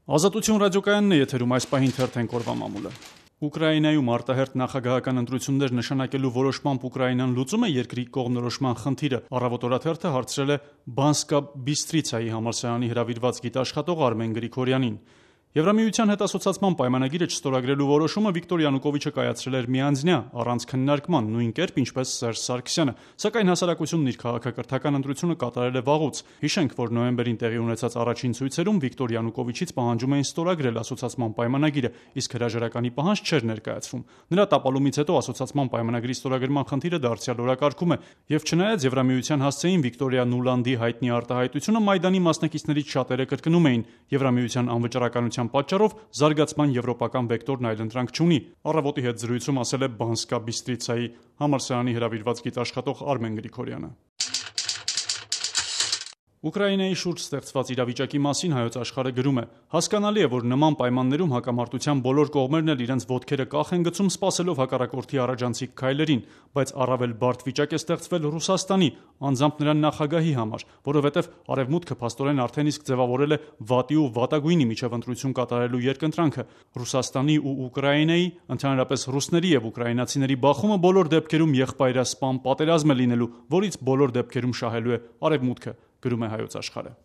Ազատություն ռադիոկայանն է եթերում, այս պահին թերթենք օրվա մամուլը։ Ուկրաինայում արտահերթ նախագահական ընտրություններ նշանակելու որոշմամբ Ուկրաինան լուծում է երկրի կողմնորոշման խնդիրը։ Առավոտ օրաթերթը հարցրել է Բանսկա Բիստրիցայի համալսարանի հրավիրված գիտաշխատող Արմեն Գրիգորյանին։ Եվրամիության հետ ասոցացման պայմանագիրը չստորագրելու որոշումը Վիկտոր Յանուկովիչը կայացրել էր միանձնյա, առանց քննարկման, նույն կերպ ինչպես Սերժ Սարգսյանը, սակայն հասարակությունն իր քաղաքակրթական ընտրությունը կատարել է վաղուց։ Հիշենք, որ նոյեմբերին տեղի ունեցած առաջին ցույցերում Վիկտոր Յանուկովիչից պահանջում էին ստորագրել ասոցացման պայմանագիրը, իսկ հրաժարականի պահանջ չէր ներկայացվում։ Նրա տապալումից հետո ասոցացման պայմանագրի ստորագրման խնդիրը դարձյալ օրակարգում է, եւ չնայած Եվրամիության հասցեին Վիկտորիա Նուլանդի հայտնի արտահայտությունը Մայդանի մասնակիցներից շատերը կրկնում էին, Եվրամիության անվճռականության պատճառով զարգացման եվրոպական վեկտորն այլընտրանք չունի։ Առավոտի հետ զրույցում ասել է Բանսկա Բիստրիցայի համալսարանի հրավիրված գիտաշխատող Արմեն Գրիգորյանը։ Ուկրաինայի շուրջ ստեղծված իրավիճակի մասին Հայոց Աշխարհը գրում է. հասկանալի է, որ նման պայմաններում հակամարտության բոլոր կողմերն էլ իրենց ոտքերը կախ են գցում, սպասելով հակառակորդի առաջանցիկ քայլերին, բայց առավել բարդ վիճակ է ստեղծվել Ռուսաստանի, անձամբ նրա նախագահի համար, որովհետև Արևմուտքը փաստորեն արդեն իսկ ձևավորել է վատի ու վատագույնի միջև ընտրություն կատարելու երկընտրանքը։ Ռուսաստանի ու Ուկրաինայի, ընդհանրապես ռուսների եւ ուկրաինացիների բախումը բոլոր դեպքերում եղբայրասպան պատերազմ է լինելու, որից բոլոր դեպքերում շահելու է Արևմուտքը, գրում է Հայոց Աշխարհը։